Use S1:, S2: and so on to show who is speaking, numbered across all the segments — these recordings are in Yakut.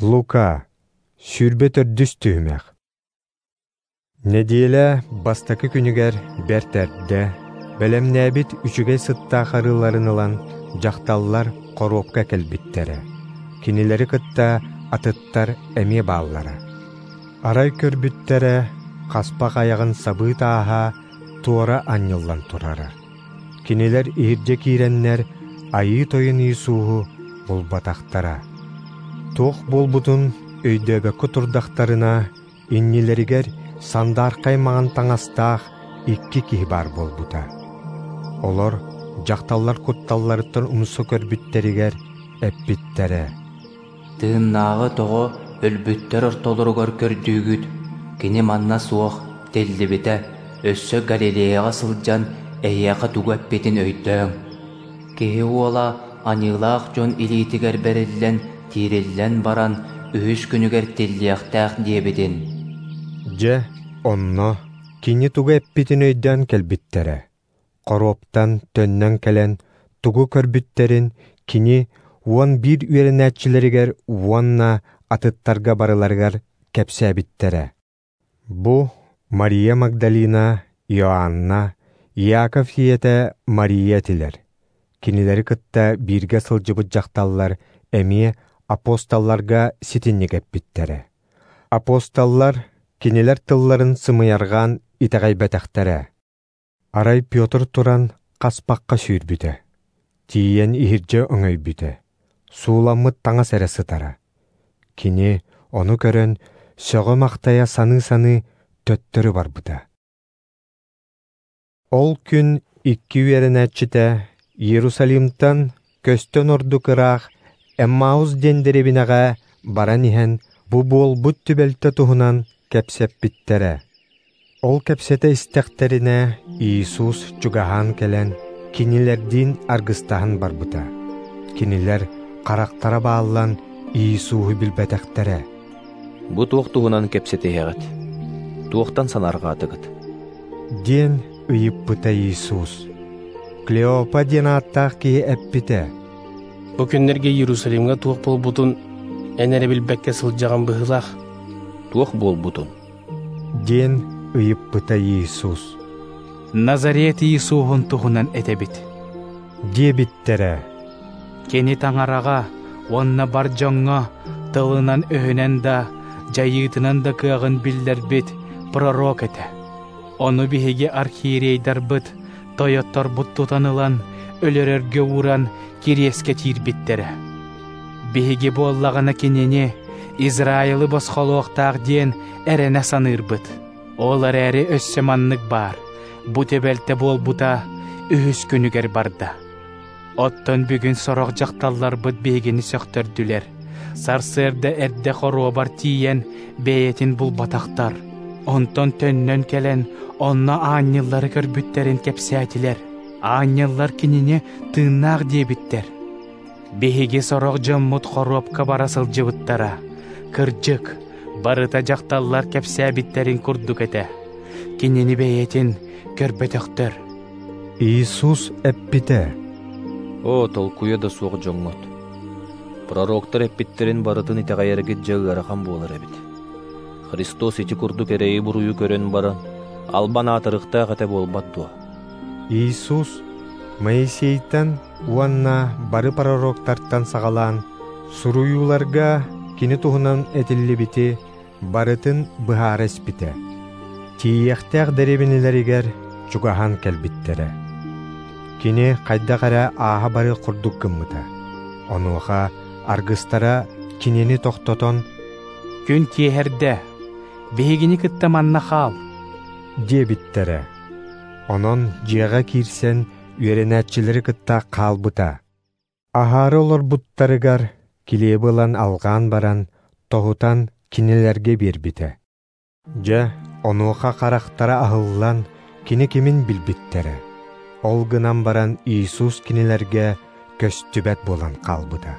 S1: Лука, 24 түһүмэх. Нэдиэлэ бастакы күнүгэр бэрт эрдэ, бэлэмнээбит үчүгэй сыттаах арыыларын ылан, дьахталлар хоруопка кэлбиттэрэ. Кинилэри кытта атыттар эмиэ бааллара. Арай көрбүттэрэ, хаспах айаҕын сабыы тааһа туора анньыллан турара. Кинилэр иһирдьэ киирэннэр Айыы Тойон Иисуһу булбатахтара. Туох буолбутун өйдөөбөккө турдахтарына, иннилэригэр сандаархай маҥан таҥастаах икки киһи баар буолбута. Олор дьахталлар кутталларыттан умса көрбүттэригэр эппиттэрэ:
S2: «Тыыннааҕы тоҕо өлбүттэр ортолоругар көрдүүгүт? Кини манна суох, тиллибитэ, өссө Галилеяҕа сылдьан эһиэхэ тугу эппитин өйдөөҥ. Киһи уола аньыылаах дьон илиитигэр бэриллэн, тиириллэн баран, үһүс күнүгэр тиллиэхтээх диэбитин».
S1: Дьэ, онно кини тугу эппитин өйдөөн кэлбиттэрэ. Хоруоптан төннөн кэлэн, тугу көрбүттэрин кини 11 үөрэнээччилэригэр уонна атыттарга барыларыгар кэпсээбиттэрэ. Бу Мария Магдалина, Иоанна, Иаков ийэтэ Мария этилэр. Кинилэри кытта бииргэ сылдьыбыт дьахталлар эмиэ апостолларга ситинник эппиттэрэ. Апостоллар кинилэр тылларын сымыйарҕаан итэҕэйбэтэхтэрэ. Арай Петр туран хаспахха сүүрбүтэ. Тиийэн иһирдьэ өҥөйбүтэ. Сууламмыт таҥас эрэ сытара. Кини ону көрөн сөҕө-махтайа саныы-саныы төттөрү барбыта. Ол күн икки үөрэнээччитэ Иерусалимтан көстөн ордук ыраах Эммаус диэн дэриэбинэҕэ баран иһэн бу буолбут түбэлтэ туһунан кэпсэппиттэрэ. Ол кэпсэтэ истэхтэринэ Иисус чугаһаан кэлэн кинилэрдиин аргыстаһан барбыта. Кинилэр харахтара бааллан Иисуһу билбэтэхтэрэ.
S3: «Бу туох туһунан кэпсэтиһэҕит? Туохтан санаарҕаатыгыт?»
S1: диэн ыйыппыта Иисус. Клеопа диэн ааттаах киһи эппитэ:
S4: «Бу күннэргэ Иерусалимҥа туох буолбутун эн эрэ билбэккэ сылдьаҕын быһыылаах».
S3: «Туох буолбутун?»
S1: диэн ыйыппыта Иисус.
S5: «Назарет Иисуһун туһунан этэбит»,
S1: диэбиттэрэ.
S5: «Кини таҥараҕа уонна бар дьоҥҥо тылынан-өһүнэн да, дьайыытынан да кыаҕын биллэрбит пророк этэ. Ону биһиги архиерейдарбыт, тойотторбут тутан ылан, өлөрөргө ууран кириэскэ тиирбиттэрэ. Биһиги буоллаҕына кинини Израилы босхолуохтаах диэн эрэнэ саныырбыт. Ол эрээри өссө маннык баар, бу түбэлтэ буолбута үһүс күнүгэр барда. Оттон бүгүн сорох дьахталларбыт биһигини сөхтөрдүлэр. Сарсыарда эрдэ хоруобар тиийэн бэйэтин булбатахтар. Онтон төннөн кэлэн онно аанньаллары көрбүттэрин кэпсээтилэр. Аанньаллар кинини тыыннаах диэбиттэр. Биһиги сорох дьоммут хоруопка бара сылдьыбыттара. Кырдьык, барыта дьахталлар кэпсээбиттэрин курдук этэ. Кинини бэйэтин көрбөтөхтөр».
S1: Иисус эппитэ:
S3: «О, толкуйа да суох дьоҥҥут! Пророктар эппиттерин барытын итэҕэйэргит дьэ ыарахан буолар эбит. Христос ити курдук эрэйи-буруйу көрөн баран, албан аатырыктаах этэ буолбат дуо?»
S1: Иисус Моисейтан уонна бары пророктартан саҕалаан суруйууларга кини туһунан этиллибити барытын быһаара испитэ. Тиийиэхтээх дэриэбинэлэригэр чугаһаан кэлбиттэрэ. Кини хайдах эрэ ааһа барыах курдук гыммыта. Онуоха аргыстара кинини тохтотон:
S5: «Күн киэһэрдэ, биһигини кытта манна хаал»,
S1: диэбиттэрэ. Онон дьиэҕэ киирсэн үөрэнээччилэри кытта хаалбыта. Аһаары олорбуттарыгар килиэби ылан алҕаан баран, тоһутан кинилэргэ биэрбитэ. Дьэ, онуоха харахтара аһыллан, кини кимин билбиттэрэ. Ол гынан баран Иисус кинилэргэ көстүбэт буолан хаалбыта.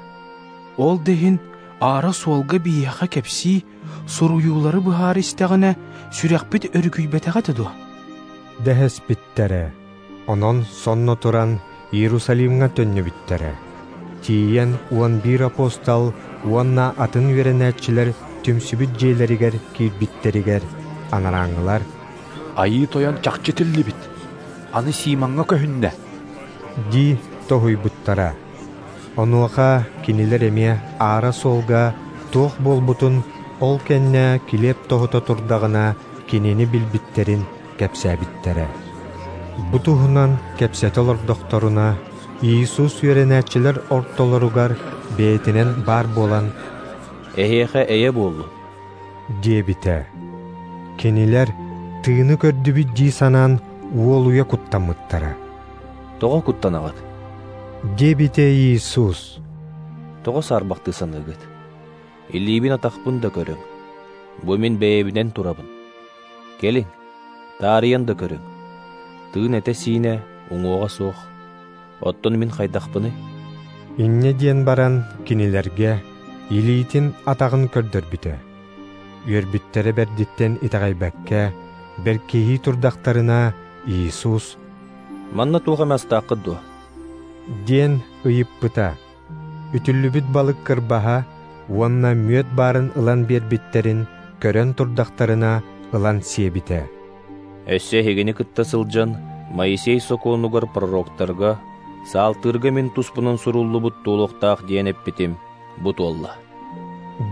S5: «Ол да иһин аара суолга биһиэхэ кэпсии, суруйуулары быһаара истэҕинэ, сүрэхпит өрүкүйбэтэҕэ этэ дуо?»
S1: дэһэспиттэрэ. Онон сонно туран Иерусалимҥа төннүбүттэрэ. Тиийэн 11 апостол уонна атын үөрэнээччилэр түмсүбүт дьиэлэригэр киирбиттэригэр анарааҥҥылар
S6: «Айыы Тойон чахчы тиллибит, аны Симоҥҥа көһүннэ»
S1: дии тоһуйбуттара. Онуоха кинилэр эмиэ аара суолга туох буолбутун, ол кэннэ килиэп тоһута турдаҕына кинини билбиттэрин кэпсээбиттэрэ. Бу туһунан кэпсэтэ олордохторуна, Иисус үөрэнээччилэр ортолоругар бэйэтинэн баар буолан
S3: «Эһиэхэ эйэ буоллун»
S1: диэбитэ. Кинилэр тыыны көрдүбүт дии санаан уолуйа куттаммыттара.
S3: «Тоҕо куттанаҕыт?»
S1: диэбитэ Иисус.
S3: «Тоҕо саарбахтыы саныыгыт? Илиибин атахпын да көрүҥ. Бу мин бэйэбинэн турабын. Кэлиҥ, таарыйан да көрүҥ. Тыын этэ-сиинэ уҥуоҕа суох. Оттон мин хайдахпыный?»
S1: Инньэ диэн баран кинилэргэ илиитин атаҕын көрдөрбүтэ. Үөрбүттэрэ бэрдиттэн итэҕэйбэккэ, бэркиһии турдахтарына Иисус
S3: «Манна туох эмэ астааххыт дуо?»
S1: диэн ыйыппыта. Үтүллүбүт балык кырбаһа уонна мүөт баарын ылан биэрбиттэрин көрөн турдахтарына ылан сиэбитэ.
S3: «Өссө эһигини кытта сылдьан Моисей сокуонугар пророктарга, саалтыырга мин туспунан суруллубут туолуохтаах диэн эппитим бу туолла»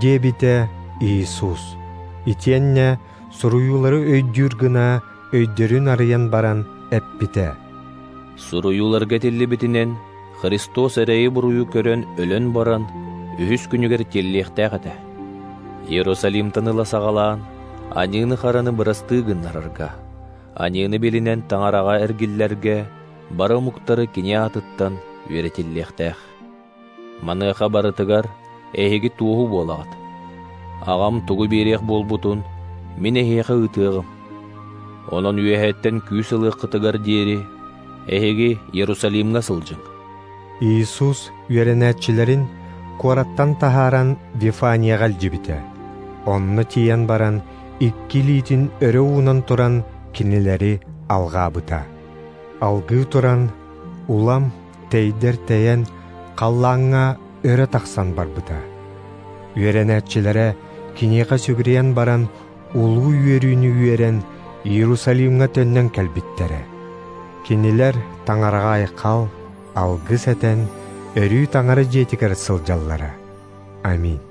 S1: диэбитэ Иисус. Итиэннэ суруйуулары өйдүүр гына өйдөрүн арыйан баран эппитэ.
S3: «Суруйууларга этиллибитинэн, Христос эрэйи-буруйу көрөн өлөн баран, үһүс күнүгэр тиллиэхтээх этэ. Иерусалимтан ыла саҕалаан, аньыыны-хараны бырастыы гыннарарга, аньыыны билинэн Таҥараҕа эргиллэргэ бары омуктары кини аатыттан үөрэтиллиэхтээх. Маныаха барытыгар эһиги туоһу буолаҕыт. Аҕам тугу биэриэх буолбутун мин эһиэхэ ыытыаҕым. Онон үөһэттэн күүс ылыаххытыгар диэри эһиги Иерусалимҥа сылдьыҥ».
S1: Иисус үөрэнээччилэрин куораттан таһааран Вифанияҕа илдьибитэ. Онно тиийэн баран икки илиитин өрө уунан туран кинилэри алҕаабыта. Алгыы туран, улам тэйдэр тэйэн, халлааҥҥа өрө тахсан барбыта. Үөрэнээччилэрэ киниэхэ сүгүрүйэн баран, улуу үөрүүнү үөрэн, Иерусалимҥа төннөн кэлбиттэрэ. Кинилэр Таҥараҕа айхал, алгыс этэн, өрүү Таҥара дьиэтигэр сылдьаллара. Аминь.